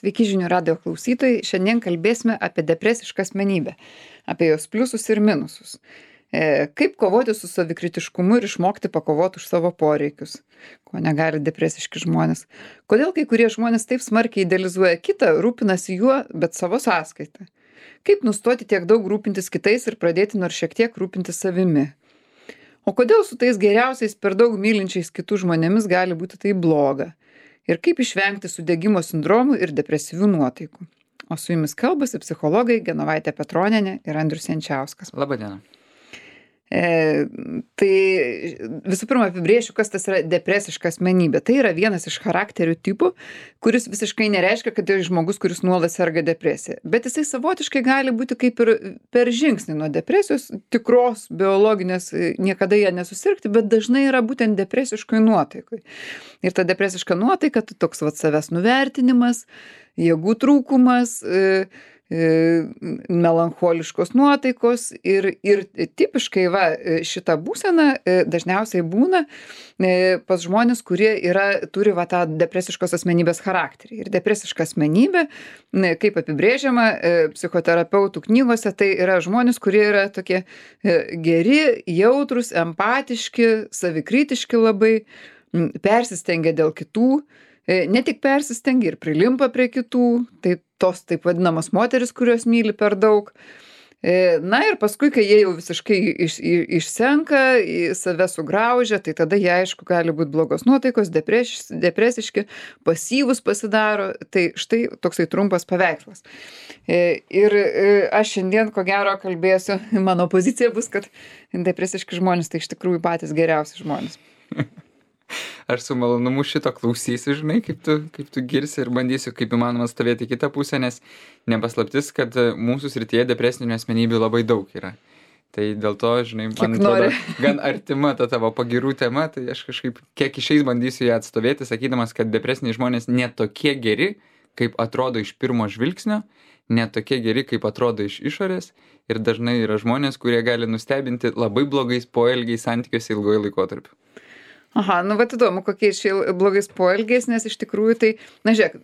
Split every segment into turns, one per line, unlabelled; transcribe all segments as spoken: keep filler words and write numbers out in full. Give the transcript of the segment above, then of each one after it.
Sveiki žinių radijo klausytojai. Šiandien kalbėsime apie depresišką asmenybę, apie jos pliusus ir minusus. E, kaip kovoti su savikritiškumu ir išmokti pakovoti už savo poreikius, ko negali depresiški žmonės. Kodėl kai kurie žmonės taip smarkiai idealizuoja kitą, rūpinasi juo, bet savo sąskaitą. Kaip nustoti tiek daug rūpintis kitais ir pradėti nors šiek tiek rūpintis savimi. O kodėl su tais geriausiais per daug mylinčiais kitų žmonėmis gali būti tai bloga. Ir kaip išvengti sudegimo sindromų ir depresyvių nuotaikų. O su jumis kalbasi psichologai Genovaitė Petronienė ir Andrius Jančiauskas.
Labą dieną.
E, tai visų pirma apibrėšiu, kas tas yra depresiška asmenybė. Tai yra vienas iš charakterių tipų, kuris visiškai nereiškia, kad tai žmogus, kuris nuolat serga depresija. Bet jisai savotiškai gali būti kaip ir per žingsnį nuo depresijos, tikros, biologinės, niekada jie nesusirgti, bet dažnai yra būtent depresiškoj nuotaikoj. Ir ta depresiška nuotaika, tai toks vat savęs nuvertinimas, jėgų trūkumas, e, melancholiškos nuotaikos ir, ir tipiškai va, šita būsena dažniausiai būna pas žmonės, kurie yra, turi va, tą depresiškos asmenybės charakterį. Ir depresiška asmenybė, kaip apibrėžiama psichoterapeutų knygose, tai yra žmonės, kurie yra tokie geri, jautrus, empatiški, savikritiški labai, persistengia dėl kitų, ne tik persistengia ir prilimpa prie kitų, tai tos taip vadinamos moteris, kurios myli per daug. Na ir paskui, kai jie jau visiškai iš, išsenka, save sugraužia, tai tada jie aišku gali būti blogos nuotaikos, depreš, depresiški, pasyvus pasidaro. Tai štai toksai trumpas paveikslas. Ir aš šiandien ko gero kalbėsiu, mano pozicija bus, kad depresiški žmonės tai iš tikrųjų patys geriausi žmonės.
Aš su malonumu šito klausysiu, žinai, kaip tu, kaip tu girsi ir bandysiu kaip įmanoma stovėti kitą pusę, nes nepaslaptis, kad mūsų srityje depresinių asmenybių labai daug yra. Tai dėl to, žinai, man atrodo, gan artima ta tavo pagirų tema, tai aš kažkaip kiek išeis bandysiu ją atstovėti, sakydamas, kad depresiniai žmonės ne tokie geri, kaip atrodo iš pirmo žvilgsnio, ne tokie geri, kaip atrodo iš išorės, ir dažnai yra žmonės, kurie gali nustebinti labai blogais poelgiais santykiuose ilgojo laikotarpiu.
Aha, nu vat įdomu, kokiais čia blogais poelgiais, nes iš tikrųjų tai, na žiūrėk,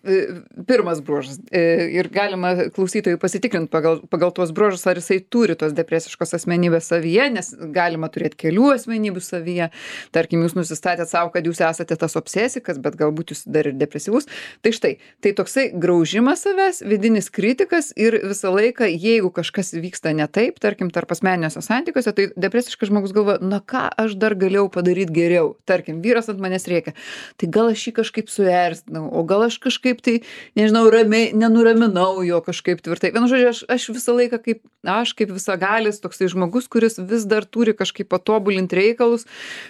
pirmas bruožas ir galima klausytojui pasitikrinti pagal, pagal tuos bruožus, ar jisai turi tos depresiškos asmenybės savyje, nes galima turėti kelių asmenybių savyje. Tarkim, jūs nusistatėt savo, kad jūs esate tas obsesikas, bet galbūt jūs dar ir depresyvus. Tai štai, tai toksai graužimas savęs, vidinis kritikas ir visą laiką, jeigu kažkas vyksta ne taip, tarkim, tarp asmeniniuose santykiuose, tai depresiškas žmogus galvoja, na ką aš dar galėjau padaryti geriau. Tarkim, vyras ant manęs rėkia, tai gal aš jį kažkaip suerzinau, o gal aš kažkaip tai, nežinau, ramiai, nenuraminau jo kažkaip tvirtai. Vienu žodžiu, aš, aš visą laiką kaip, aš kaip visagalis, toksai žmogus, kuris vis dar turi kažkaip patobulinti reikalus,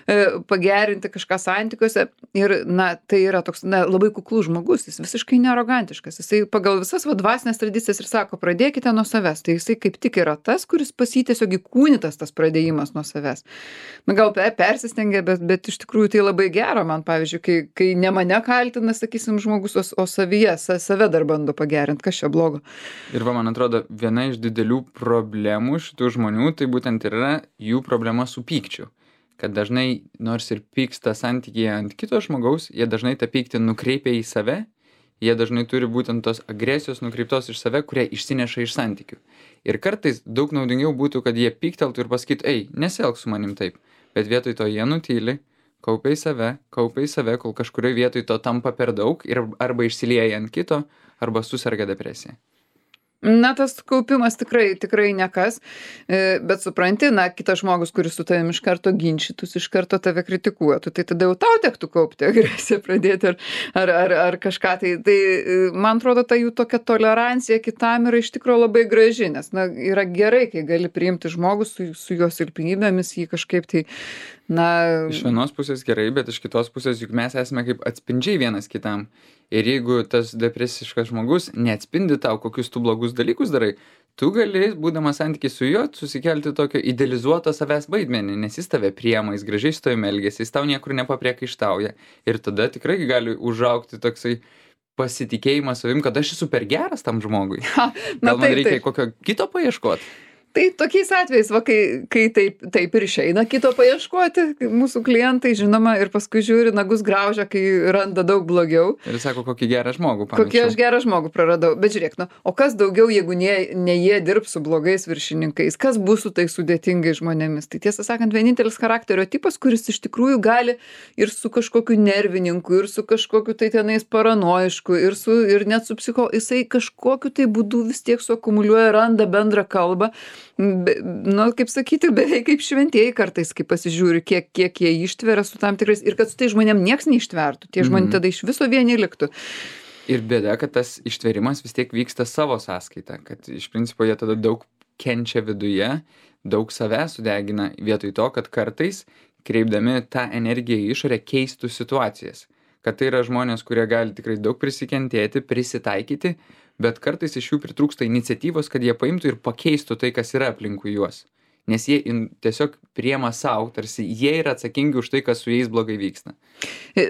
e, pagerinti kažką santykiuose. Ir, na, tai yra toks, na, labai kuklus žmogus, jis visiškai nearogantiškas. Jisai pagal visas va, dvasinės tradicijas ir sako, pradėkite nuo savęs. Tai jisai kaip tik yra tas, kuris pas jį tiesiog įkūnytas tas pradėjimas nuo savęs. Na, gal persistengia, bet, bet iš tikrųjų tai labai gera man, pavyzdžiui, kai, kai ne mane kaltina, sakysim, žmogus, o, o savyje, sa, save dar bando pagerinti, kas čia blogo.
Ir va, man atrodo, viena iš didelių problemų šitų žmonių, tai būtent yra jų problema su pykčiu. Kad dažnai, nors ir pyksta santykyje ant kito žmogaus, jie dažnai tą pyktį nukreipia į save, jie dažnai turi būtent tos agresijos nukreiptos iš save, kurią išsineša iš santykių. Ir kartais daug naudingiau būtų, kad jie pykteltų ir pasakytų, ei, nesielk su manim taip. Bet vietoj to jie nutyli, kaupia į save, kaupia į save, kol kažkurioje vietoj to tampa per daug ir arba išsilieja ant kito, arba suserga depresija.
Na, tas kaupimas tikrai, tikrai nekas, bet supranti, na, kitas žmogus, kuris su tavim iš karto ginčytus, iš karto tave kritikuotų, tai tada jau tau tektų kaupti agresiją pradėti ar, ar, ar, ar kažką. Tai, tai, man atrodo, ta jų tokia tolerancija kitam yra iš tikrųjų labai graži, nes, na, yra gerai, kai gali priimti žmogus su, su jo silpnybėmis, jį kažkaip tai, na...
Iš vienos pusės gerai, bet iš kitos pusės juk mes esame kaip atspindžiai vienas kitam. Ir jeigu tas depresiškas žmogus neatspindi tau, kokius tu blogus dalykus darai, tu gali, būdamas santykiai su juo, susikelti tokio idealizuoto savęs vaidmenį, nes jis tave priema, jis gražiai su tavimi elgiasi, jis tau niekur nepapriekaištauja. Ir tada tikrai gali užaugti toksai pasitikėjimas savim, kad aš esu per geras tam žmogui.
Ha, na,
Gal man
taip,
reikia
taip.
kokio kito paieškoti?
Tai tokiais atvejais, va, kai, kai taip, taip ir išeina kito paieškoti, mūsų klientai, žinoma, ir paskui žiūri, nagus graužia, kai randa daug blogiau.
Ir sako, kokį gerą žmogų pamečiau.
Kokį aš gerą žmogų praradau. Bet žiūrėk, nu, o kas daugiau, jeigu ne, ne jie dirbs su blogais viršininkais, kas bus su tai sudėtingai žmonėmis? Tai tiesą sakant, vienintelis charakterio tipas, kuris iš tikrųjų gali ir su kažkokiu nervininku, ir su kažkokiu tai tenais paranoišku, ir, su, ir net su psicho, jisai kažkokiu tai būdu vis tiek suakumuliuoja, randa bendrą kalbą. Be, nu, kaip sakyti, beveik kaip šventieji kartais, kai pasižiūri, kiek, kiek jie ištveria su tam tikrais, ir kad su tai žmonėm nieks neištvertų, tie žmonės tada iš viso vieni liktų.
Ir bėda, kad tas ištverimas vis tiek vyksta savo sąskaita, kad iš principo jie tada daug kenčia viduje, daug savęs sudegina vietoj to, kad kartais, kreipdami tą energiją į išorę, keistų situacijas. Kad tai yra žmonės, kurie gali tikrai daug prisikentėti, prisitaikyti, bet kartais iš jų pritrūksta iniciatyvos, kad jie paimtų ir pakeistų tai, kas yra aplinkui juos. Nes jie in, tiesiog priema savo, tarsi jie yra atsakingi už tai, kas su jais blogai vyksta.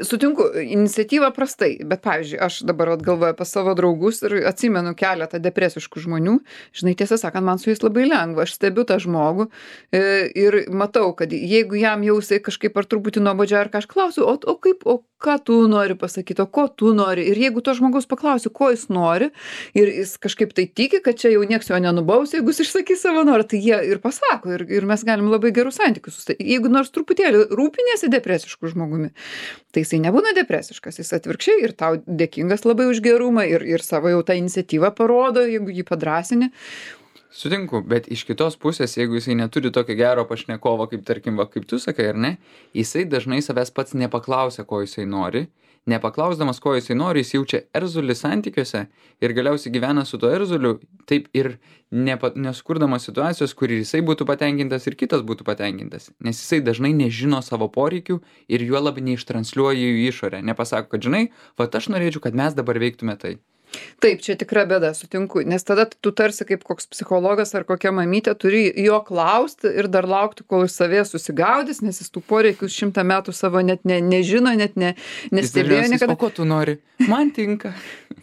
Sutinku, iniciatyva prastai, bet pavyzdžiui, aš dabar galvoju apie savo draugus ir atsimenu keletą depresiškų žmonių. Žinai, tiesą sakant, man su jais labai lengva, aš stebiu tą žmogų ir matau, kad jeigu jam jau jisai kažkaip ar truputį nuobodžiai ar kažką klausiu, o, o kaip, o ką tu nori pasakyti, o ko tu nori. Ir jeigu to žmogaus paklausiu, ko jis nori, ir jis kažkaip tai tiki, kad čia jau nieks jo nenubaus, jeigu jis išsakys savo norą, tai jie ir pasako. Ir, ir mes galim labai gerus santykius susidaryti. Jeigu nors truputėlį rūpinėsi depresišku žmogumi, tai jisai nebūna depresiškas, jis atvirkščiai ir tau dėkingas labai už gerumą ir, ir savo jau tą iniciatyvą parodo, jeigu jį padrąsini.
Sutinku, bet iš kitos pusės, jeigu jisai neturi tokio gero pašnekovo, kaip tarkim, va, kaip tu sakai, ar ne, jisai dažnai savęs pats nepaklausia, ko jisai nori. Nepaklausdamas, ko jisai nori, jis jaučia erzulį santykiuose ir galiausiai gyvena su to erzuliu, taip ir nepa, nesukurdamas situacijos, kur jisai būtų patenkintas ir kitas būtų patenkintas. Nes jisai dažnai nežino savo poreikių ir juo labiau neištranslioja jų į išorę. Nepasako, kad žinai, va aš norėčiau, kad mes dabar veiktume tai.
Taip, čia tikra bėda, sutinku, nes tada tu tarsi kaip koks psichologas ar kokia mamytė turi jo klausti ir dar laukti, kol jis savie susigaudys, nes jis tų poreikių šimtą metų savo net ne, nežino, net ne, nestebėjo niekada.
O ko tu nori? Man tinka.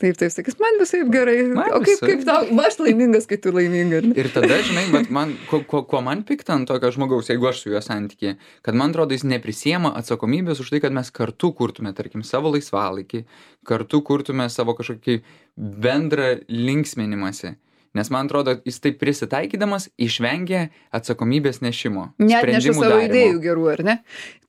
Taip, taip, sakys, man visai gerai.
Man
o kaip,
visai.
kaip tau, aš laimingas, kai tu laiminga.
Ir tada, žinai, bet man, ko, ko, ko man pikta ant tokio žmogaus, jeigu aš su juo santykė, kad man atrodo, jis neprisiema atsakomybės už tai, kad mes kartu kurtume, tarkim, savo laisvalaikį, kartu kurtume savo kažkokį bendrą linksminimąsi. Nes man atrodo, jis taip prisitaikydamas išvengia atsakomybės nešimo.
Net neša savo darimo. Idėjų gerų, ar ne?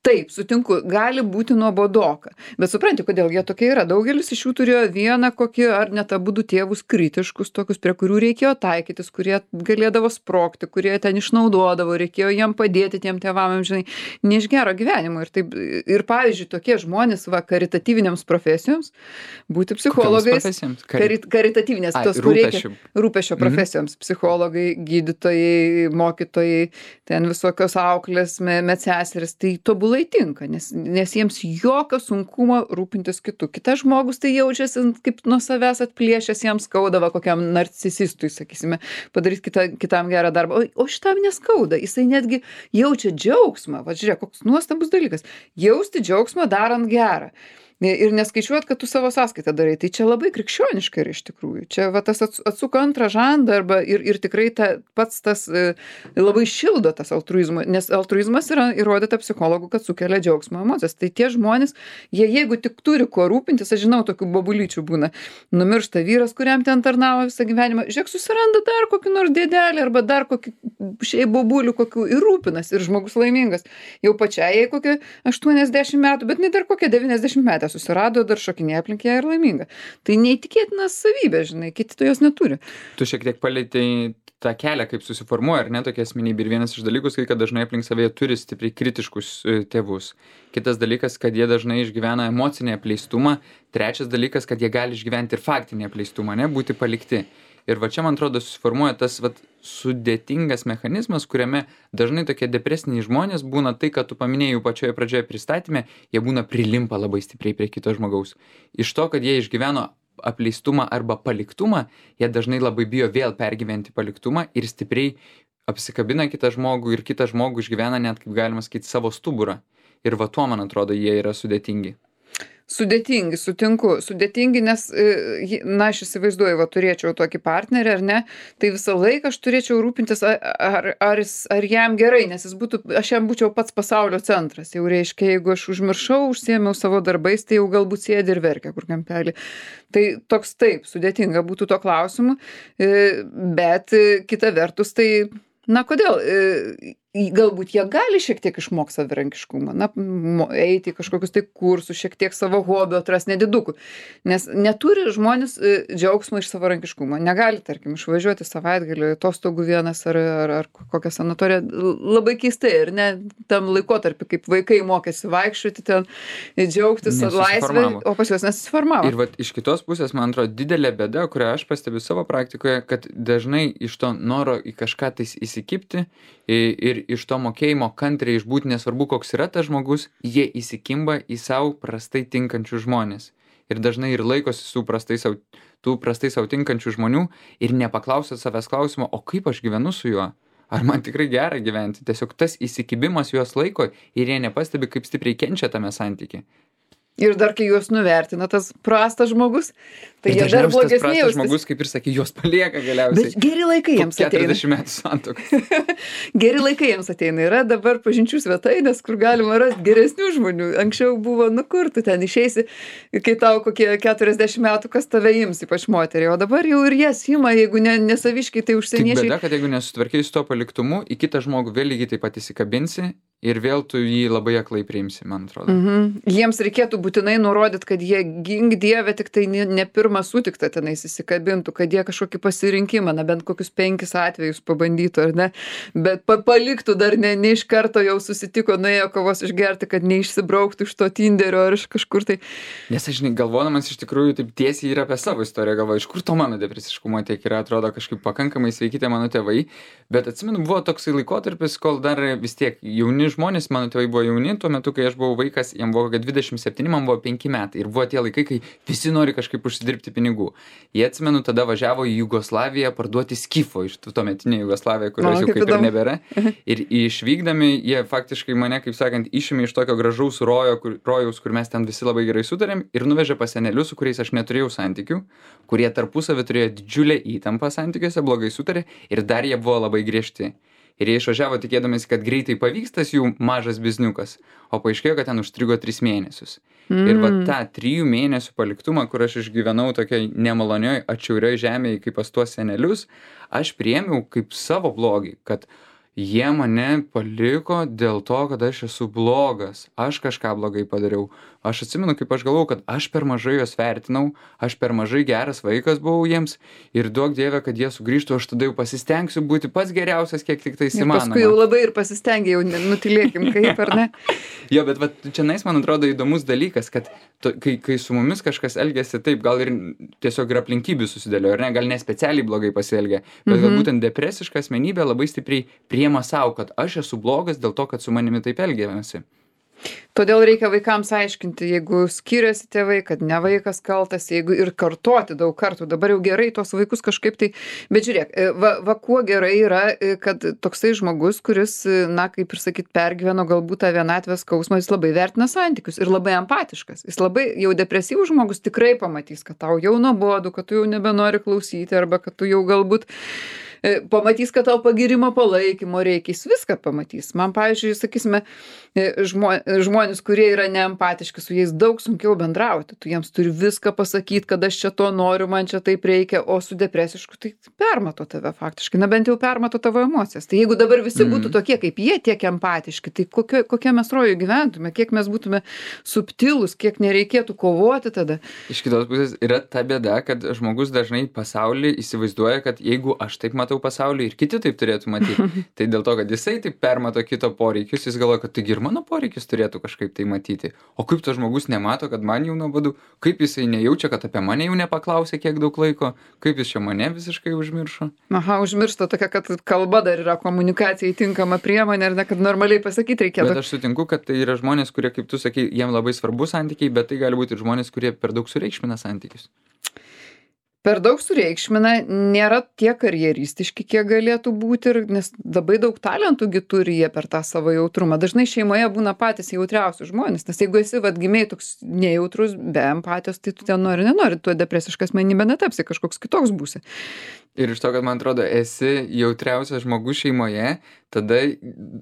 Taip, sutinku, gali būti nuobodoka. Bet supranti, kodėl jie tokie yra. Daugelis iš jų turėjo vieną kokį ar net abudu tėvus kritiškus, tokius, prie kurių reikėjo taikytis, kurie galėdavo sprogti, kurie ten išnaudodavo, reikėjo jiem padėti tiem tėvam, žinai, ne iš gero gyvenimo. Ir, taip, ir pavyzdžiui, tokie žmonės, va, karitatyvinėms profesijoms, būti psichologais. Kari, karitatyvinės, tos, kur reikia rūpesčio profesijoms, mm-hmm. psichologai, gydytojai, mokytojai, ten visokios auklės, medseserės, tai tobulai tinka, nes, nes jiems jokio sunkumo rūpintis kitų. Kitas žmogus tai jaučiasi kaip nuo savęs atplėšęs, jam skaudava kokiam narcisistui, sakysime, padaryti kita, kitam gerą darbą. O, o šitam neskauda, jisai netgi jaučia džiaugsmą. Va, žiūrėk, koks nuostabus dalykas. Jausti džiaugsmą darant gerą. Ir neskaičiuot, kad tu savo sąskaitą darai. Tai čia labai krikščioniška yra iš tikrųjų. Čia va, tas atsuka antrą žandą arba ir, ir tikrai ta, pats tas e, labai šildo tas altruizmo, nes altruizmas yra įrodyta psichologų, kad sukelia džiaugsmo emocijas. Tai tie žmonės, jie jeigu tik turi kuo rūpintis, aš žinau, tokių bobulyčių būna, numiršta vyras, kuriam ten tarnavo visą gyvenimą, žiūrėk, susiranda dar kokį nors dėdelį arba dar kokį šiai bobulių kokių ir rūpinas ir žmogus laimingas. Jau pačiai jai kokie aštuoniasdešimt metų, bet ne dar kokie devyniasdešimt metų susirado, dar šokinėja aplink ją ir laiminga. Tai neįtikėtina savybė, žinai, kiti to jos neturi.
Tu šiek tiek palėtei tą kelią, kaip susiformuoja, ar ne, tokia asmenybė. Ir vienas iš dalykų, kad dažnai aplink savėje turi stipriai kritiškus tėvus. Kitas dalykas, kad jie dažnai išgyvena emocinį apleistumą. Trečias dalykas, kad jie gali išgyventi ir faktinį apleistumą, ne, būti palikti. Ir va čia, man atrodo, susiformuoja tas vat, sudėtingas mechanizmas, kuriame dažnai tokie depresiniai žmonės būna tai, kad tu paminėjai pačioje pradžioje pristatyme, jie būna prilimpa labai stipriai prie kito žmogaus. Iš to, kad jie išgyveno apleistumą arba paliktumą, jie dažnai labai bijo vėl pergyventi paliktumą ir stipriai apsikabina kitą žmogų ir kitą žmogų išgyvena net, kaip galima sakyti, savo stuburą. Ir va tuo, man atrodo, jie yra sudėtingi.
Sudėtingi, sutinku, sudėtingi, nes, na, aš įsivaizduoju, va, turėčiau tokį partnerį, ar ne, tai visą laiką aš turėčiau rūpintis, ar, ar, ar jam gerai, nes jis būtų, aš jam būčiau pats pasaulio centras. Jau reiškia, jeigu aš užmiršau, užsiėmiau savo darbais, tai jau galbūt sėdi ir verkia kur kampelį. Tai toks taip, sudėtinga būtų to klausimu, bet kita vertus, tai, na, kodėl? Galbūt jie gali šiek tiek išmokti savarankiškumą, na, eiti į kažkokius tai kursus, šiek tiek savo hobio atrasti nedidukų. Nes neturi žmonės džiaugsmo iš savarankiškumo. Negali, tarkim, išvažiuoti savaitgalį, atostogų vienas ar, ar, ar kokią sanatoriją. Labai keistai, ir ne tam laikotarpį, kaip vaikai mokėsi vaikščioti ten, džiaugtis laisvę, o pas juos nesusiformavo.
Ir vat, iš kitos pusės, man atrodo, didelė bėda, kurią aš pastebiu savo praktikoje, kad dažnai iš to noro į kažką tais įsikibti ir iš to mokėjimo kantriai išbūti, nesvarbu, koks yra tas žmogus, jie įsikimba į savo prastai tinkančių žmonės. Ir dažnai ir laikosi su prastai sau, tų prastai sau tinkančių žmonių ir nepaklausia savęs klausimo, o kaip aš gyvenu su juo? Ar man tikrai gera gyventi? Tiesiog tas įsikibimas juos laiko ir jie nepastebi, kaip stipriai kenčia tame santykiai.
Ir dar, kai juos nuvertina tas prastas žmogus, tai jie dar blogesnė
jaustis. Tas žmogus, kaip ir sakė, juos palieka galiausiai.
Bet geri laikai jiems ateina.
keturiasdešimt metų santuokos.
Geri laikai jiems ateina. Yra dabar pažinčių svetainės, kur galima rasti geresnių žmonių. Anksčiau buvo, nu kur tu ten išeisi, kai tau kokie keturiasdešimt metų, kas tave ims, ypač moterį. O dabar jau ir jas ima, jeigu ne, nesaviškai, tai užsieniečiai.
Tik bėda, kad jeigu nesutvarkiai su to paliktumu, į kitą žmogų vėl lygiai taip pat įsikabinsi ir vėl tu jį labai aklai priimsi, man atrodo.
Mhm. Jiems reikėtų būtinai nurodyti, kad jie gink Dievę tik tai ne, ne pirmą sutiktą tenais įsikabintų, kad jie kažkokį pasirinkimą, na bent kokius penkis atvejus pabandytų, ar ne, bet pa, paliktų dar ne, ne iš karto jau susitiko, nuėjo kavos išgerti, kad neišsibrauktų iš to Tinderio ar iš kažkur tai.
Nes aš, žinai, galvodamas iš tikrųjų taip tiesiai ir apie savo istoriją galvoju, iš kur to mano depresiškumo tiek yra, atrodo kažkaip pakankamai sveikite mano tėvai, bet atsimenu, buvo toksai laikotarpis, kol dar vis tiek jauni žmonės, mano tėvai buvo jauni, tuo metu, kai aš buvau vaikas, jam buvo dvidešimt septyni, man buvo penki metai. Ir buvo tie laikai, kai visi nori kažkaip užsidirbti pinigų. Jie, atsimenu, tada važiavo į Jugoslaviją parduoti skifo iš tuometinė Jugoslavija, kurios jau kaip ir nebėra. Ir išvykdami, jie faktiškai mane, kaip sakant, išėmė iš tokio gražaus rojo, kur, rojaus, kur mes ten visi labai gerai sutarėm, ir nuvežė pas senelius, su kuriais aš neturėjau santykių, kurie tarpusavį turėjo didžiulę įtampą santykiuose, blogai sutarė, ir dar jie buvo labai griežti. Ir jie išvažiavo tikėdamėsi, kad greitai pavyks tas jų mažas bizniukas, o paaiškėjo, kad ten užstrigo tris mėnesius. Mm. Ir va tą trijų mėnesių paliktumą, kur aš išgyvenau tokiai nemalonioj, atšiaurioj žemėje, kaip pas tuos senelius, aš priėmiau kaip savo blogį, kad jie mane paliko dėl to, kad aš esu blogas, aš kažką blogai padariau. Aš atsimenu, kaip aš galvojau, kad aš per mažai juos vertinau, aš per mažai geras vaikas buvau jiems ir duok Dieve, kad jie sugrįžtų, aš tada jau pasistengsiu būti pats geriausias, kiek tik tai įmanoma.
Paskui jau labai ir pasistengia, jau nutilėkim kaip, ar ne?
Jo, bet va, čia nais, man atrodo, įdomus dalykas, kad to, kai, kai su mumis kažkas elgiasi taip, gal ir tiesiog ir aplinkybių susidėlio, ar ne, gal ne specialiai blogai pasielgia, bet mhm. gal būtent depresiška asmenybė labai stipriai priema savo, kad aš esu blogas dėl to, kad su manimi taip elgiamasi.
Todėl reikia vaikams aiškinti, jeigu skiriasi tėvai, kad ne vaikas kaltas, jeigu ir kartoti daug kartų, dabar jau gerai tos vaikus kažkaip tai, bet žiūrėk, va, va kuo gerai yra, kad toksai žmogus, kuris, na, kaip ir sakyt, pergyveno galbūt tą vienatvės skausmą, jis labai vertina santykius ir labai empatiškas. Jis labai jau depresyvus žmogus tikrai pamatys, kad tau jau nuobodu, kad tu jau nebenori klausyti arba kad tu jau galbūt pamatys, kad tau pagirimo palaikymo reikia, jis viską pamatys. Man, pavyzdžiui, sakysime, žmo, žmonės, kurie yra neempatiški, su jais daug sunkiau bendrauti. Tu jiems turi viską pasakyti, kad aš čia to noriu, man čia taip reikia, o su depresišku tai permato tave faktiškai, na bent jau permato tavo emocijas. Tai jeigu dabar visi būtų tokie kaip jie, tiek empatiški, tai kokio, kokie mes rojų gyventume, kiek mes būtume subtilus, kiek nereikėtų kovoti tada.
Iš kitos pusės yra ta bėda, kad žmogus dažnai pasaulį įsivaizduoja, kad jeigu aš taip matau pasaulį ir kiti taip turėtų matyti. Tai dėl to, kad jisai taip permato kito poreikius, jis galvoja, kad taigi ir mano poreikis turėtų kažkaip tai matyti. O kaip tas žmogus nemato, kad man jau nuobodu, kaip jisai nejaučia, kad apie mane jau nepaklausė kiek daug laiko, kaip jis čia mane visiškai užmiršo.
Aha, užmiršta tokia, kad kalba dar yra komunikacijai tinkama priemonė, ar ne, kad normaliai pasakyti reikėtų.
Bet aš sutinku, kad tai yra žmonės, kurie, kaip tu sakai, jiem labai svarbu santykiai, bet tai gali būti ir žmonės, kurie per daug sureikšmina santykius.
per daug sureikšmina, nėra tiek karjeristiški, kiek galėtų būti, ir, nes labai daug talentų gi turi jie per tą savo jautrumą. Dažnai šeimoje būna patys jautriausi žmonės, nes jeigu esi vat gimiai toks nejautrus, be empatijos, tai tu ten nori, nenori, tu depresiška asmenybė netapsi, kažkoks kitoks būsi.
Ir iš to, kad man atrodo, esi jautriausias žmogus šeimoje, tada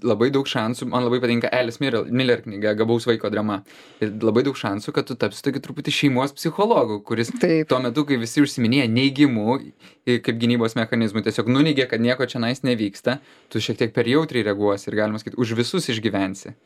labai daug šansų, man labai patinka Alice Miller knyga Gabaus vaiko drama. Ir labai daug šansų, kad tu tapsi tokį truputį šeimos psichologų, kuris Taip. Tuo metu, kai visi užsiminėja neigimu, kaip gynybos mechanizmų, tiesiog nuneigia, kad nieko čia nais nevyksta, tu šiek tiek per jautriai reaguosi ir galima sakyti, už visus išgyvensi.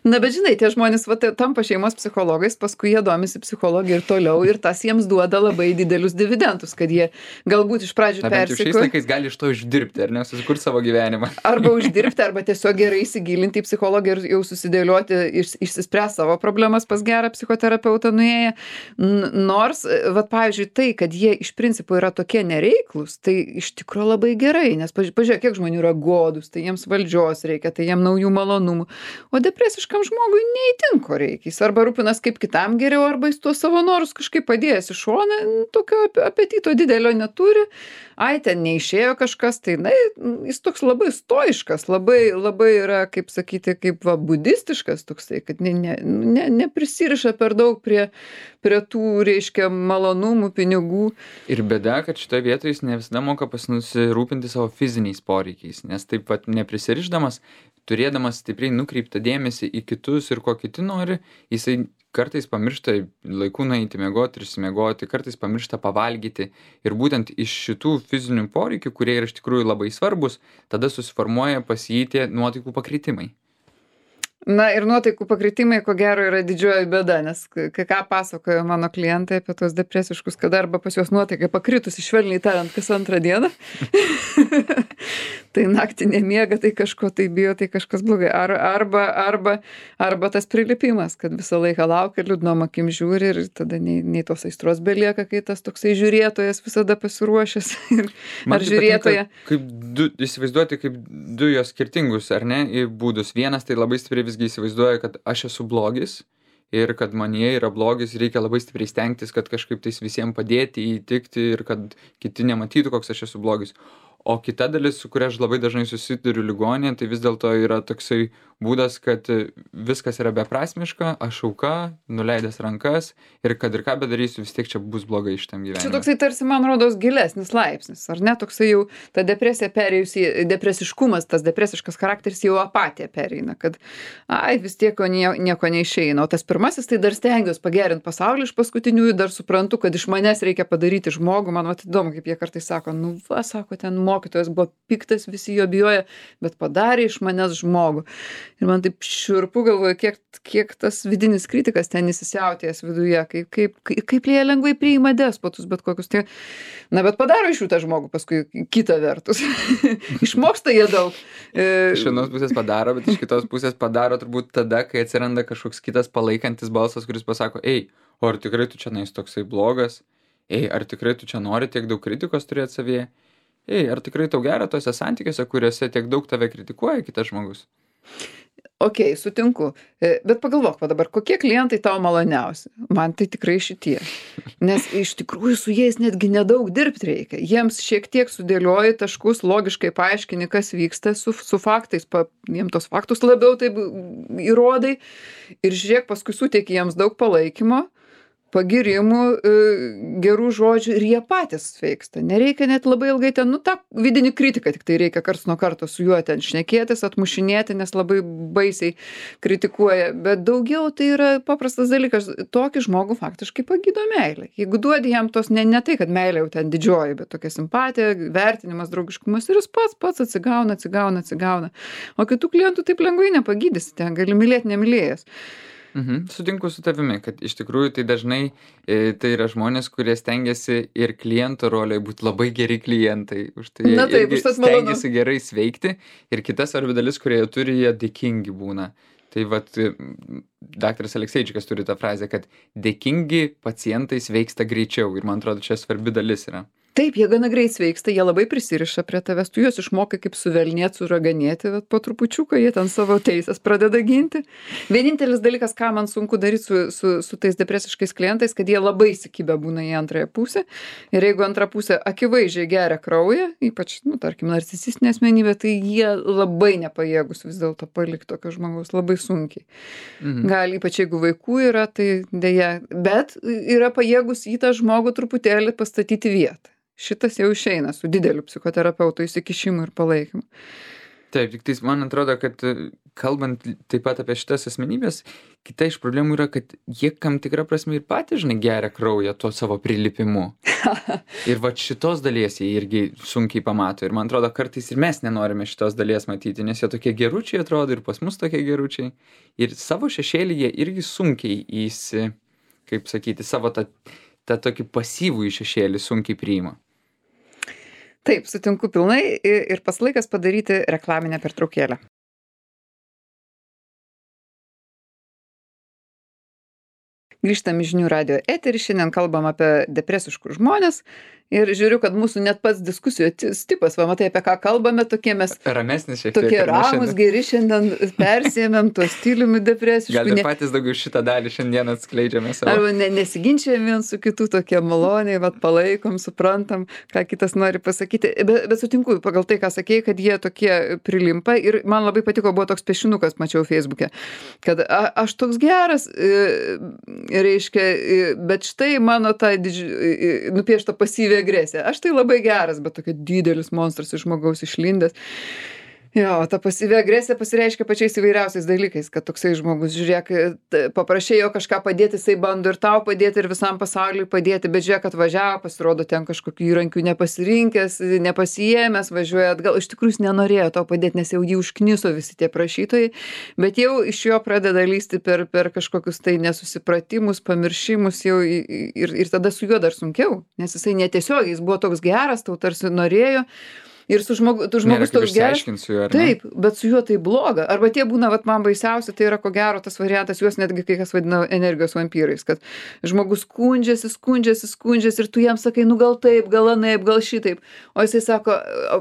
Na, bet žinai, tie žmonės va, tampa šeimos psichologais, paskui jie domisi psichologija ir toliau, ir tas jiems duoda labai didelius dividendus, kad jie galbūt iš pradžių persiko.
Šiais laikais gali iš to uždirbti, ar ne, susikurti savo gyvenimą.
Arba uždirbti, arba tiesiog gerai įsigilinti į psichologiją ir jau susidėlioti, iš, išsispręs savo problemas pas gerą psichoterapeutą nuėję. Nors, va, pavyzdžiui, tai, kad jie iš principo yra tokie nereiklus, tai iš tikrųjų labai gerai, nes pažiūrėk, kiek žmonių yra godus, tai jiems valdžios reikia, tai jiems naujų malonumų. O depresiškam žmogui neįtin ko reikia. Jis arba rūpinas kaip kitam geriau, arba jis tuos savo norus kažkaip padėjęs į šoną, tokio apetito didelio neturi. Ai, ten neišėjo kažkas, tai na, jis toks labai stoiškas, labai, labai yra, kaip sakyti, kaip va, budistiškas toksai, kad ne, ne, ne, neprisiriša per daug prie, prie tų, reiškia, malonumų, pinigų.
Ir bėda, kad šitoje vietoje jis ne visada moka pasirūpinti savo fiziniais poreikiais, nes taip pat neprisirišdamas, turėdamas stipriai nukreiptą dėmesį į kitus ir ko kiti nori, jisai kartais pamiršta laiku nueiti miegoti ir išsimiegoti, kartais pamiršta pavalgyti. Ir būtent iš šitų fizinių poreikių, kurie yra iš tikrųjų labai svarbus, tada susiformuoja pas jį tie nuotaikų pakritimai.
Na ir nuotaikų pakritimai, ko gero, yra didžioji bėda, nes kai ką pasakojo mano klientai apie tos depresiškus, kad arba pas juos nuotaikai pakritusi, švelniai tariant, kas antrą dieną, tai naktį nemiega, tai kažko tai bijo, tai kažkas blogai. Ar, arba, arba, arba tas prilipimas, kad visą laiką laukia, liūdnom akim žiūri ir tada nei, nei tos aistros belieka, kai tas toksai žiūrėtojas visada pasiruošęs. Ir, ar žiūrėtoja.
Patinka, kaip du, įsivaizduoti kaip du jos skirtingus, ar ne, būdus. Vienas tai labai stipriai visgi įsivaizduoja, kad aš esu blogis ir kad manyje yra blogis, reikia labai stipriai stengtis, kad kažkaip tais visiems padėti, įtikti ir kad kiti nematytų, koks aš esu blogis. O kita dalis, su kuria aš labai dažnai susiduriu ligoninėje, tai vis dėlto yra toksai būdas, kad viskas yra beprasmiška, aš auka, nuleidęs rankas ir kad ir ką bedarysiu, vis tiek čia bus blogai šitam gyvenime.
Čia toksai tarsi, man rodos, gilesnis laipsnis, ar ne? Toksai jau ta depresija perėjusi, depresiškumas, tas depresiškas charakteris jau apatija pereina, kad ai, vis tiek nieko, nieko neišeina. O tas pirmasis, tai dar stengiuosi pagerinti pasaulį iš paskutiniųjų, dar suprantu, kad iš manęs reikia padaryti žmogų. Man vat įdomu, kaip jie kartais sako, nu va, sako, ten mokytojas buvo piktas, visi jo bijoja, bet padarė iš manęs žmogų. Ir man taip šiurpu, galvoju, kiek, kiek tas vidinis kritikas ten įsisiautėjęs viduje, kaip, kaip, kaip, kaip jie lengvai priima despotus, bet kokius tie. Na, bet padaro iš jų tą žmogų paskui kitą vertus. Išmoksta jie daug.
Iš vienos pusės padaro, bet iš kitos pusės padaro turbūt tada, kai atsiranda kažkoks kitas palaikantis balsas, kuris pasako, ei, o ar tikrai tu čia nais toksai blogas? Ei, ar tikrai tu čia nori tiek daug kritikos turėti savyje? Ei, ar tikrai tau gera tose santykiuose, kuriuose tiek daug tave kritikuoja kitas žmogus?
Ok, sutinku. Bet pagalvok va dabar, kokie klientai tau maloniausi? Man tai tikrai šitie. Nes iš tikrųjų su jais netgi nedaug dirbti reikia. Jiems šiek tiek sudėlioji taškus, logiškai paaiškini, kas vyksta su, su faktais, pa, jiems tos faktus labiau taip įrodai ir žiūrėk, paskui suteiki jiems daug palaikymo, pagirimų, gerų žodžių ir jie patys sveiksta. Nereikia net labai ilgai ten, nu, tą vidinį kritiką, tik tai reikia karts nuo karto su juo ten šnekėtis, atmušinėti, nes labai baisiai kritikuoja. Bet daugiau tai yra paprastas dalykas. Tokį žmogų faktiškai pagydo meilė. Jeigu duodi jam tos, ne, ne tai, kad meilė jau ten didžioji, bet tokia simpatija, vertinimas, draugiškumas ir jis pats, pats atsigauna, atsigauna, atsigauna. O kitų klientų taip lengvai nepagydysi, ten gali mylėti nemylėjęs.
Mhm. Sutinku su tavimi, kad iš tikrųjų tai dažnai e, tai yra žmonės, kurie stengiasi ir kliento rolėje būti labai geri klientai. Už tai jie
Na, taip,
irgi stengiasi gerai sveikti. Ir kita svarbi dalis, kurie jie turi, jie dėkingi būna. Tai vat, daktaras Alekseičikas turi tą frazę, kad dėkingi pacientai sveiksta greičiau. Ir man atrodo, čia svarbi dalis yra.
Taip, jie gana greit sveiksta, jie labai prisiriša prie tavęs, tu juos išmokai kaip suvelnėti, suraganėti, bet po trupučiuką jie ten savo teisės pradeda ginti. Vienintelis dalykas, ką man sunku daryti su, su, su tais depresiškais klientais, kad jie labai įsikibę būna į antrąją pusę. Ir jeigu antra pusė akivaizdžiai geria kraują, ypač, nu, tarkim, narcisistinė asmenybė, tai jie labai nepajėgus vis dėlto palikti tokio žmogaus, labai sunkiai. Mhm. Gal ypač jeigu vaikų yra, tai dėja, bet yra pajėgus į tą žmogų truputėlį pastatyti vietą. Šitas jau išeina su dideliu psichoterapeuto įsikišimu ir palaikymu.
Taip, tik tais man atrodo, kad kalbant taip pat apie šitas asmenybės, kita iš problemų yra, kad jie kam tikrą prasme ir patys, žinai, geria kraują tuo savo prilipimu. Ir va šitos dalies jie irgi sunkiai pamato. Ir man atrodo, kartais ir mes nenorime šitos dalies matyti, nes jie tokie geručiai atrodo ir pas mus tokie geručiai. Ir savo šešėlį jie irgi sunkiai įsi, kaip sakyti, savo tą, tą tokį pasyvų šešėlį sunkiai priima.
Taip, sutinku pilnai ir pas laikas padaryti reklaminę pertraukėlę. Grįžtam į žinių radijo eterį, šiandien kalbam apie depresiškus žmones ir žiūriu, kad mūsų net pats diskusijos tipas, va matai, apie ką kalbame, tokie mes
ramesnis šiek tiek.
Tokie ramus, geri šiandien persėmėm tuo stiliumi depresišku.
Gal ir patys daugiau šitą dalį šiandien atskleidžiame savo.
Arba ne, nesiginčiam vien su kitu, tokie maloniai, vat palaikom, suprantam, ką kitas nori pasakyti. Bet, bet sutinku, pagal tai, ką sakėjai, kad jie tokie prilimpa ir man labai patiko, buvo toks piešinukas, mačiau Facebook'e, kad a, aš toks geras, e, reiškia, bet štai mano ta didži... nupiešta pasyvi agresija. Aš tai labai geras, bet tokia didelis monstras iš žmogaus išlindęs. Jo, ta pasyvi agresija pasireiškia pačiais įvairiausiais dalykais, kad toksai žmogus, žiūrėk, paprašėjo kažką padėti, jisai bando ir tau padėti, ir visam pasauliui padėti, bet žiūrėk, atvažiavo, pasirodo ten kažkokių įrankių nepasirinkęs, nepasijėmęs, važiuoja atgal, iš tikrųjų jis nenorėjo to padėti, nes jau jį užkniso visi tie prašytojai, bet jau iš jo pradeda lysti per, per kažkokius tai nesusipratimus, pamiršimus jau ir, ir tada su juo dar sunkiau, nes jisai netiesiogiai, jis buvo toks geras, tau tarsi norėjo. Ir su žmogu, tu žmogus toks geras. Taip, bet su juo tai bloga. Arba tie būna, vat man baisiausia, tai yra ko gero tas variantas, juos netgi kai kas vadina energijos vampyrais, kad žmogus skundžiasi, skundžiasi, skundžiasi ir tu jam sakai, nu gal taip, gal anaip, gal šitaip. O jisai sako,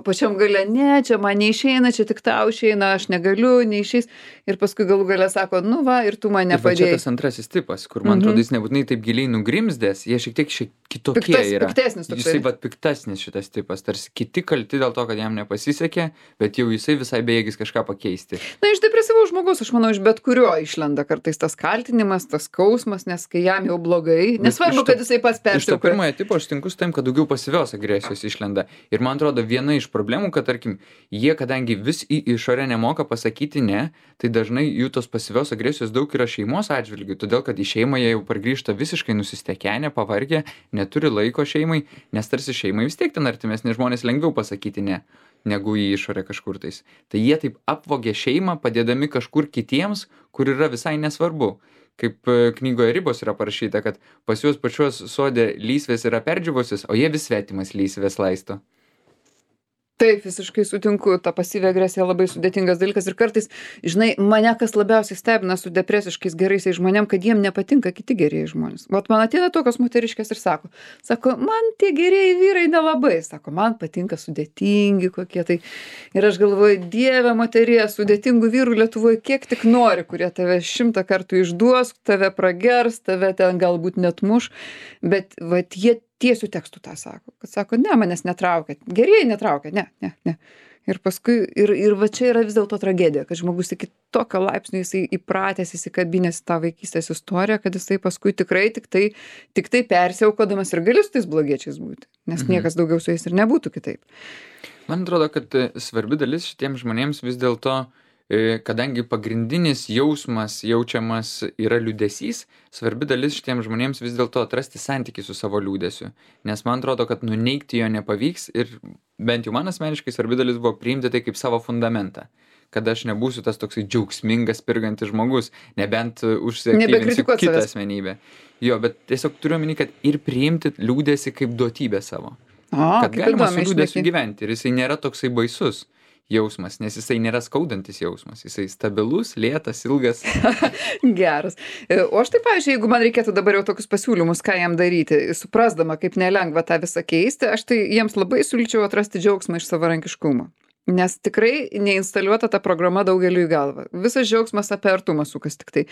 pačiam gale, ne, čia man neišeina, čia tik tau išeina, aš negaliu, neišeis. Ir paskui galų gale sako, nu va, ir tu man nepadėjai.
Ir va čia tas antrasis tipas, kur man mm-hmm. atrodo, jis nebūtinai taip giliai nugrimzdės, jie šiek tiek šiek kitokie
Piktas,
yra.
Piktesnis toksai.
Jisai vat piktesnis šitas tipas, tarsi kiti kalti dėl to, kad jam nepasisekė, bet jau jisai visai bejėgis kažką pakeisti.
Na, iš depresyvaus žmogus, aš manau, iš bet kurio išlenda kartais tas kaltinimas, tas skausmas, nes kai jam jau blogai, nesvarbu, kad jisai pats peršaukia.
Iš to pirmojo tipo aš tinku su tam, kad daugiau pasyvios agresijos išlenda. Ir man atrodo, viena iš problemų, kad, tarkim, jie, kadangi vis į išorę nemoka pasakyti ne, tai dažnai jų tos pasyvios agresijos daug yra šeimos atžvilgių, todėl, kad į šeimą jie jau pargrįžta visiškai nusistekenę, pavargę, neturi laiko šeimai, nes tarsi šeimai vis tiek ten artimesni žmonės lengviau pasakyti ne, negu į išorę kažkur tais. Tai jie taip apvogė šeimą, padėdami kažkur kitiems, kur yra visai nesvarbu. Kaip knygoje Ribos yra parašyta, kad pas juos pačios sode lysvės yra perdžiūvusios, o jie vis svetimas lysvės laisto.
Taip, visiškai sutinku, ta pasyvi agresija labai sudėtingas dalykas ir kartais, žinai, mane kas labiausiai stebina su depresiškais geraisiais žmonėm, kad jiem nepatinka kiti gerieji žmonės. Vat man ateina tokios moteriškės ir sako, sako, man tie gerieji vyrai nelabai, sako, man patinka sudėtingi kokie tai. Ir aš galvoju, dieve moterie, sudėtingų vyrų Lietuvoje kiek tik nori, kurie tave šimtą kartų išduos, tave pragers, tave ten galbūt net muš, bet vat jie tiesių tekstų tą sako, kad sako, ne, manęs netraukia, gerieji netraukia, ne, ne, ne. Ir paskui, ir, ir va čia yra vis dėlto tragedija, kad žmogus iki tokio laipsnio jisai įpratęs, įsikabinęs tą vaikystės istoriją, kad jisai paskui tikrai tik tai, tik tai persiaukodamas ir gali su tais blogiečiais būti, nes mhm. niekas daugiau su jais ir nebūtų kitaip.
Man atrodo, kad svarbi dalis šitiems žmonėms vis dėlto, kadangi pagrindinis jausmas jaučiamas yra liūdesys, svarbi dalis šitiems žmonėms vis dėlto atrasti santykį su savo liūdesiu. Nes man atrodo, kad nuneigti jo nepavyks ir bent jau man asmeniškai svarbi dalis buvo priimti tai kaip savo fundamentą. Kad aš nebūsiu tas toksai džiaugsmingas, pirgantis žmogus, nebent užsiaktyvinsiu kitą asmenybę. Jo, bet tiesiog turiu omeny, kad ir priimti liūdesį kaip duotybę savo.
O,
kad galima su liūdesiu gyventi ir jisai nėra toksai baisus. jausmas, nes jisai nėra skaudantis jausmas, jisai stabilus, lėtas, ilgas.
Geras. O aš taip, pavyzdžiui, jeigu man reikėtų dabar jau tokius pasiūlymus, ką jam daryti, suprasdama, kaip nelengva tą visą keisti, aš tai jiems labai siūlyčiau atrasti džiaugsmą iš savarankiškumo. Nes tikrai neinstaliuota ta programa daugeliu į galvą. Visas džiaugsmas apie artumą sukas tik tai.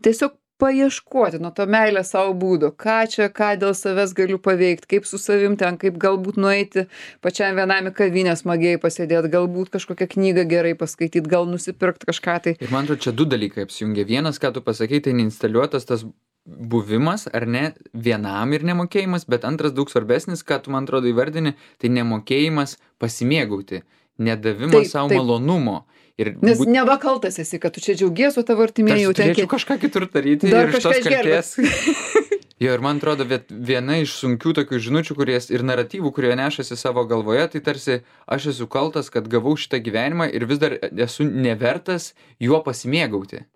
Tiesiog paieškoti nuo to meilę savo būdo, ką čia, ką dėl savęs galiu paveikti, kaip su savim ten, kaip galbūt nueiti pačiam vienam į kavinę smagiai pasėdėti, galbūt kažkokią knygą gerai paskaityti, gal nusipirkti kažką tai.
Ir man atrodo, čia du dalykai apsijungia. Vienas, ką tu pasakei, tai neinstaliuotas tas buvimas, ar ne, vienam ir nemokėjimas, bet antras daug svarbesnis, ką tu man atrodo įvardini, tai nemokėjimas pasimėgauti, nedavimas savo malonumo. Ir
Nes būt... neva kaltas esi, kad tu čia džiaugies, o tavo artimieji jau ten...
Turėčiau kažką kitur daryti
Dar
ir iš tos kaltės.
išgelbėt.
Jo, ir man atrodo, viena iš sunkių tokių žinučių, kuries ir naratyvų, kurie nešasi savo galvoje, tai tarsi aš esu kaltas, kad gavau šitą gyvenimą ir vis dar esu nevertas juo pasimėgauti.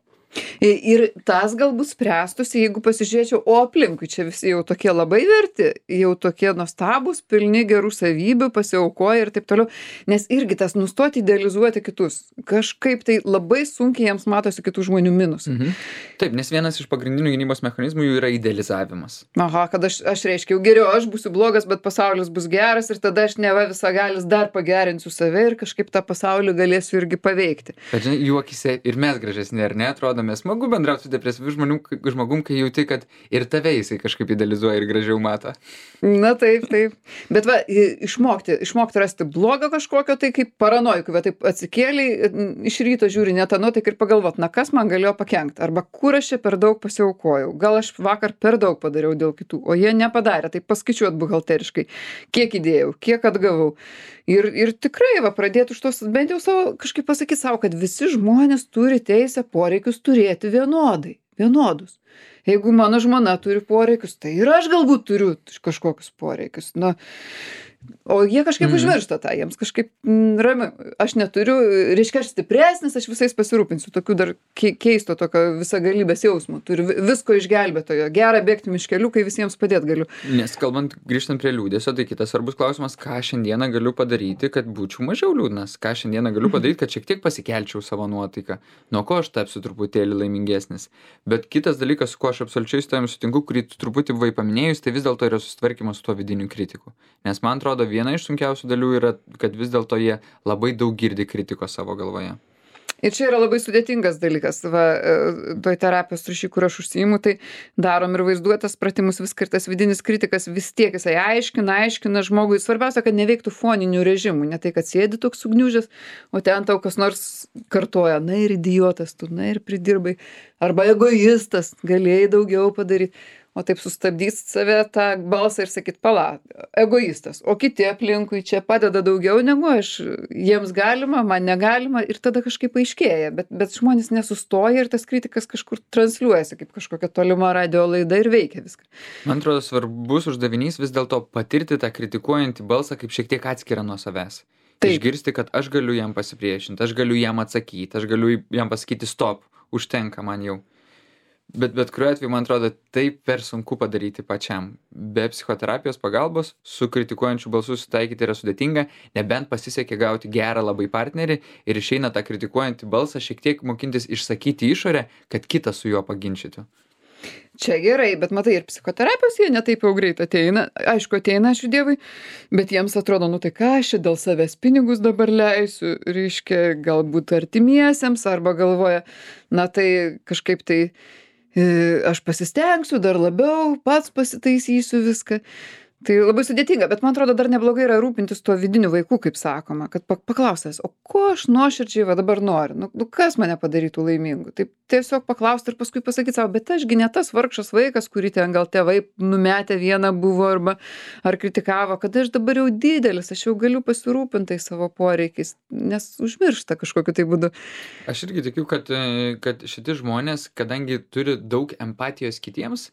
Ir tas galbūt spręstųsi, jeigu pasižiūrėčiau, o aplinkui čia visi jau tokie labai verti, jau tokie nuostabus, pilni gerų savybių, pasiaukoja ir taip toliau. Nes irgi tas nustoti idealizuoti kitus. Kažkaip tai labai sunkiai jiems matosi kitų žmonių minus.
Mhm. Taip, nes vienas iš pagrindinių gynybos mechanizmų jų yra idealizavimas.
Aha, kad aš, aš reiškia, jau geriau aš būsiu blogas, bet pasaulis bus geras ir tada aš neva visagalis dar pagerinsiu save ir kažkaip tą pasaulį galėsiu irgi paveikti.
Bet žinai, jų akyse ir mes gražesni, ar ne, atrodo, mes smagu bendrauti su depresyviu žmonių, žmogum, kai jauti, kad ir tave jisai kažkaip idealizuoja ir gražiau mato.
Na taip, taip. Bet va, išmokti, išmokti rasti blogą kažkokio, tai kaip paranojikų, va taip atsikėliai, iš ryto žiūri net tą nuotaiką ir pagalvot, na kas man galėjo pakenkti, arba kur aš čia per daug pasiaukojau, gal aš vakar per daug padariau dėl kitų, o jie nepadarė, tai paskaičiuot buhalteriškai, kiek įdėjau, kiek atgavau. Ir, ir tikrai, va, pradėti už tos, bent jau savo, kažkaip pasakyti savo, kad visi žmonės turi teisę poreikius turėti vienodai, vienodus. Jeigu mano žmona turi poreikius, tai ir aš galbūt turiu kažkokius poreikius. Na, o jie kažkaip mm. užmiršta tą, jiems kažkaip mm, rami. Aš neturiu, reiškia, aš stipresnis, aš visais pasirūpinsiu. Tokių dar keisto tokio visagalybės jausmų. Turiu visko išgelbėtojo. Gera bėgti miškeliu, kai visiems padėti galiu.
Nes kalbant, grįžtant prie liūdėsio, tai kitas svarbus klausimas, ką šiandieną galiu padaryti, kad būčiau mažiau liūdnas. Ką šiandieną galiu padaryti, kad šiek tiek pasikelčiau savo nuotaiką. Nuo ko aš tapsiu truputėlį laimingesnis. Bet kitas dalykas, su kuo aš absoliučiai su tavim sutinku, kurį tu truputį buvai paminėjus, tai vis dėlto yra susitvarkymas su tuo vidiniu kritiku. Nes man atrodo, viena iš sunkiausių dalių yra, kad vis dėlto jie labai daug girdi kritikos savo galvoje.
Ir čia yra labai sudėtingas dalykas. Va, toj terapijos rūšy, kur aš užsiimu, tai darom ir vaizduotas pratimus, vis kartas vidinis kritikas, vis tiek jisai aiškina, aiškina žmogui. Svarbiausia, kad neveiktų foninių režimų. Ne tai, kad sėdi toks sugniužęs, o ten tau kas nors kartoja, na ir idiotas tu, na ir pridirbai. Arba egoistas, galėjai daugiau padaryti. O taip sustabdys save tą balsą ir sakyt, pala, egoistas, o kiti aplinkui čia padeda daugiau negu aš, jiems galima, man negalima ir tada kažkaip aiškėja, bet, bet žmonės nesustoja ir tas kritikas kažkur transliuojasi kaip kažkokia tolima radio laida ir veikia viską.
Man atrodo, svarbus uždavinys vis dėlto patirti tą kritikuojantį balsą kaip šiek tiek atskirą nuo savęs. Taip. Išgirsti, kad aš galiu jam pasipriešinti, aš galiu jam atsakyti, aš galiu jam pasakyti stop, užtenka man jau. Bet, bet kuriuo atveju, man atrodo, tai per sunku padaryti pačiam. Be psichoterapijos pagalbos su kritikuojančiu balsu sutaikyti yra sudėtinga, nebent pasisekė gauti gerą labai partnerį ir išeina tą kritikuojantį balsą šiek tiek mokintis išsakyti išorę, kad kitas su juo paginčytų.
Čia gerai, bet matai, ir psichoterapijos jie netaip jau greit ateina. Aišku, ateina, ačiū Dievui, bet jiems atrodo, nu tai ką aš dėl savęs pinigus dabar leisiu, reiškia, galbūt artimiesiems, arba galvoja, na tai kažkaip tai aš pasistengsiu dar labiau, pats pasitaisysiu viską. Tai labai sudėtinga, bet man atrodo dar neblogai yra rūpintis tuo vidiniu vaiku, kaip sakoma, kad paklausęs, o ko aš nuoširdžiai va dabar noriu, nu, nu kas mane padarytų laimingu. Taip tiesiog paklausti ir paskui pasakyti savo, bet ašgi ne tas vargšas vaikas, kurį ten gal tėvai numetę vieną buvo arba ar kritikavo, kad aš dabar jau didelis, aš jau galiu pasirūpinti savo poreikiais, nes užmiršta kažkokiu tai būdu.
Aš irgi tikiu, kad, kad šitie žmonės, kadangi turi daug empatijos kitiems,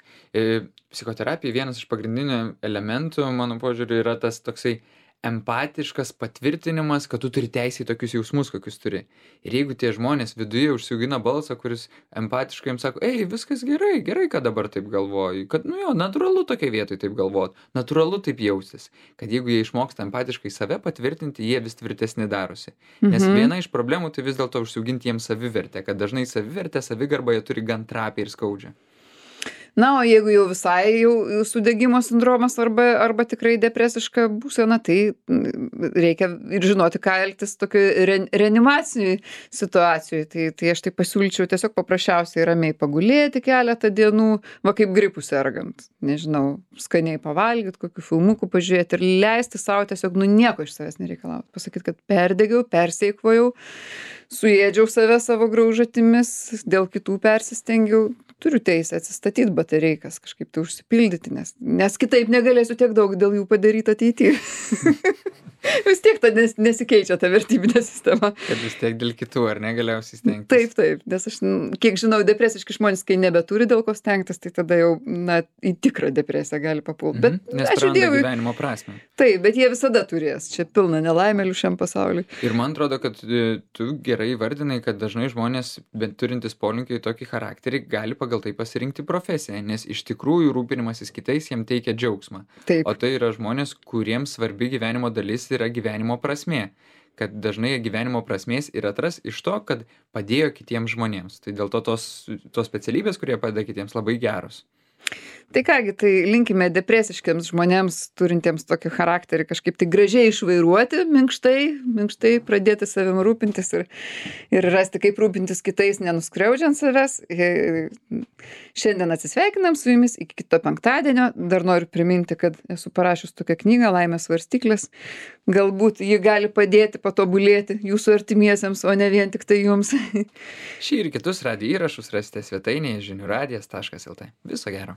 psichoterapija vienas iš pagrindinių elementų, mano požiūriu, yra tas toksai empatiškas patvirtinimas, kad tu turi teisę į tokius jausmus, kokius turi. Ir jeigu tie žmonės viduje užsiaugina balsą, kuris empatiškai jums sako, ei, viskas gerai, gerai, kad dabar taip galvoju, kad, nu jo, natūralu tokia vietoj taip galvot, natūralu taip jaustis, kad jeigu jie išmoksta empatiškai save patvirtinti, jie vis tvirtesni darosi. Nes mhm. viena iš problemų tai vis dėlto užsiauginti jiems savivertę, kad dažnai savivertę, savigarbą jie turi gan trapiai ir skaudžią.
Na, o jeigu jau visai jau sudegimo sindromas arba, arba tikrai depresiška būsena, tai reikia ir žinoti, ką elgtis tokioje re, reanimacijai situacijoje. Tai, tai aš tai pasiūlyčiau tiesiog paprasčiausiai ramiai pagulėti keletą dienų, va kaip gripų sergant. Nežinau, skaniai pavalgyti, kokių filmukų pažiūrėti ir leisti savo tiesiog, nu nieko iš savęs nereikalauti. Pasakyti, kad perdegiau, persieikvojau, suėdžiau save savo graužatimis, dėl kitų persistengiau. Turiu teisę atsistatyti batareikas, kažkaip tai užsipildyti, nes, nes kitaip negalėsiu tiek daug dėl jų padaryti ateityje. Vis tiek ta nes, nesikeičia ta vertybinė sistema.
Kad vis tiek dėl kitų, ar negaliausiai stengtis?
Taip, taip, nes aš, kiek žinau, depresiški žmonės, kai nebeturi dėl ko stengtis, tai tada jau, na, į tikrą depresiją gali papulti. Bet,
mhm, nes praranda Dievui gyvenimo prasmę.
Taip, bet jie visada turės. Čia pilna nelaimėlių šiam pasauliui.
Ir man atrodo, kad tu gerai vardinai, kad dažnai žmonės, bent turintis polinkį į tokį charakterį, gali pagal tai pasirinkti profesiją, nes iš tikrųjų rūpinimasis kitais jiem teikia džiaugsmą.
Taip.
O tai yra žmonės, kuriems svarbi gyvenimo dalis yra gyvenimo prasmė. Kad dažnai gyvenimo prasmės ir atras iš to, kad padėjo kitiems žmonėms. Tai dėl to tos, tos specialybės, kurie padeda kitiems, labai geros.
Tai kągi, tai linkime depresiškiams žmonėms, turintiems tokį charakterį, kažkaip tai gražiai išvairuoti, minkštai, minkštai pradėti savim rūpintis ir, ir rasti, kaip rūpintis kitais, nenuskriaudžiant savęs. Šiandien atsisveikinam su jumis iki kito penktadienio. Dar noriu priminti, kad esu parašius tokią knygą Laimės svarstyklės. Galbūt ji gali padėti patobulėti jūsų artimiesiems, o ne vien tik tai jums.
Šį ir kitus radijo įrašus rasite svetainėje žinių radijas taškas lt. Viso gero.